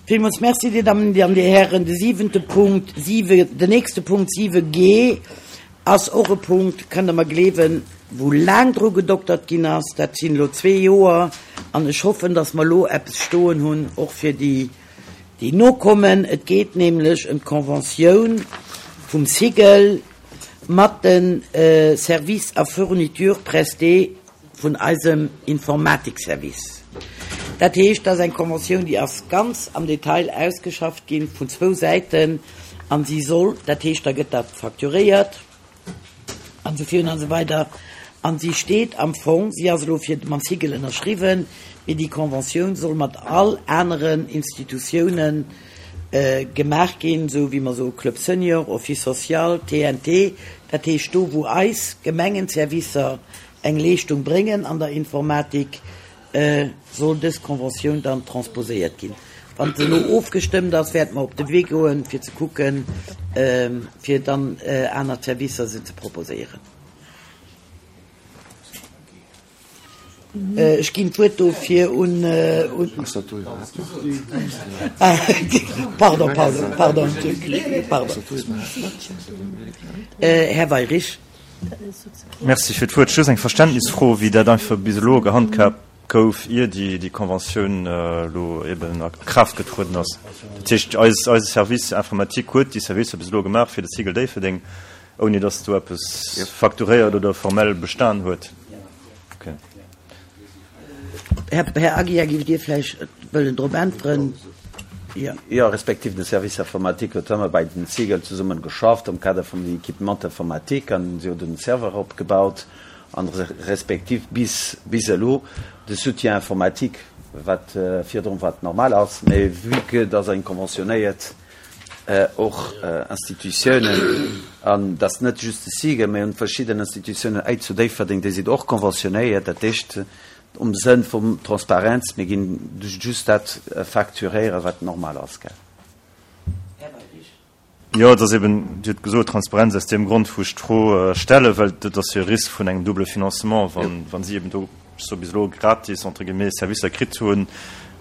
Villmools Merci, Dir Dammen an Dir Hären. De siwente Punkt, siwe, den nächste Punkt, 7G, ass och e Punkt, kënnt Der mer gleewen, wou laang dru gedoktert ginn ass. Dat sinn elo zwee Joer. An ech hoffen, dass mer elo eppes stoen hunn, och fir déi, déi nokommen. Et geet nämlech ëm d'Conventioun vum SIGEL mat de Services a Fournitures prestés vun eisem Informatikservice. Dat heescht, dat ass eng Conventioun, déi ass ganz am Detail ausgeschafft gi vun zwou Säiten a si soll, dat heescht, da gëtt dat facturéiert an esou virun an esou weider an si steet am Fong, si ass elo fir mam SIGEL ënnerschriwwen, mee déi Conventioun soll mat all aneren Institutiounen gemaach ginn, esou wéi mer soe Club Senior, Office social, TNT, dat heescht do wou eis Gemengenservicer eng Leeschtung bréngen an der Informatik, soll dës Conventioun dann transposéiert ginn. Wann se elo ofgestëmmt ass, wäerte mer op de Wee goen, fir ze kucken, fir dann aner Servicer se ze proposéieren. Ech ginn d'Wuert dofir un. Pardon, pardon, pardon, pardon. Här Weyrich. Merci fir d'Wuert. Just eng Verständnisfro, wéi dat einfach bis elo gehandhaabt gouf, ier déi Conventioun elo eben a Kraaft getrueden ass. Dat heescht, eis, eise Service informatique huet déi Servicer bis elo gemaach fir de Cigl Déifferdeng, ouni datt do eppes facturéiert oder formell bestan huet. Okay. Här Aguiar, giff Dir vläicht wëllen drop äntweren? Jo. Jo, respektiv de Service informatique huet ëmmer bei den Cigl zesummen geschafft am Kader vum Equipement informatique an si hu den Serveur opgebaut an respektiv bis bis elo de Soutien informatique, wat virdrun wat normal ass, mä vue que dass eng conventionnéiert och Institutiounen, an dass net just de SIGEL, mä hunn verschidden Institutiounen hei zu Déifferdeng, déi sinn och conventionnéiert, dat heescht um Sënn vum Transparenz, mir ginn just dat facturéieren, wat normal ass, gell. Jo, et ass eben, Dir hutt gesot, Transparenz, aus deem Grond, wou ech d'Fro stellen, well dat ass jo e Risk vun engem double Financement, wa si eben do so bis elo gratis entre guillemets Servicer kritt hunn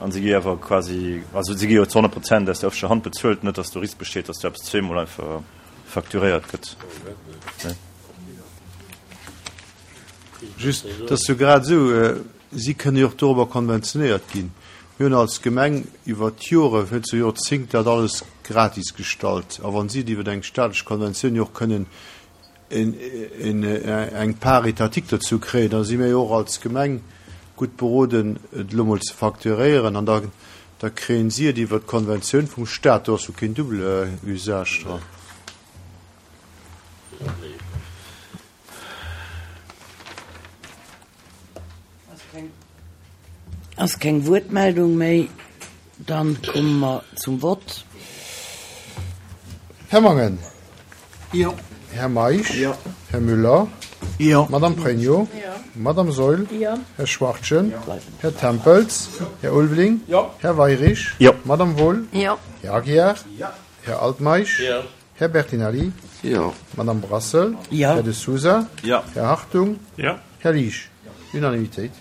an si gi awer quasi, also si gi jo zu 100 Prozent aus der öffentlecher Hand bezuelt, net datt do Risk besteet, datt do eppes zweemol einfach facturéiert gëtt. Just, et ass jo grad esou, si kënne jo och dorobber konventionéiert ginn. Mir hunn als Gemeng iwwer d'Jore, fir zu Joerzéngt dat alles gratis gestallt. A wa si et iwwer eng staatlech Konventioun jo och kënnen eng Part étatique dozou kréien, da si mir jo och als Gemeng gutt beroden, et elo mol ze facturéieren an da da kréien si et iwwert d'Konventioun vum Stat. Do ass jo keen double Usage dran. Ass keng Wuertmeldung méi, dann komme mer zum Vott. Här Mangen. Jo. Här Meisch. Jo. Här Müller. Jo. Madame Pregno. Jo. Madame Saeul. Jo. Här Schwachtgen. Jo. Här Tempels. Jo. Här Ulveling. Jo. Här Weyrich. Jo. Madame Wohl. Jo. Här Aguiar. Jo. Här Altmeisch. Jo. Här Bertinelli. Jo. Madame Brassel. Jo. Här De Sousa. Jo. Här Hartung. Jo. Här Liesch. Unanimitéit.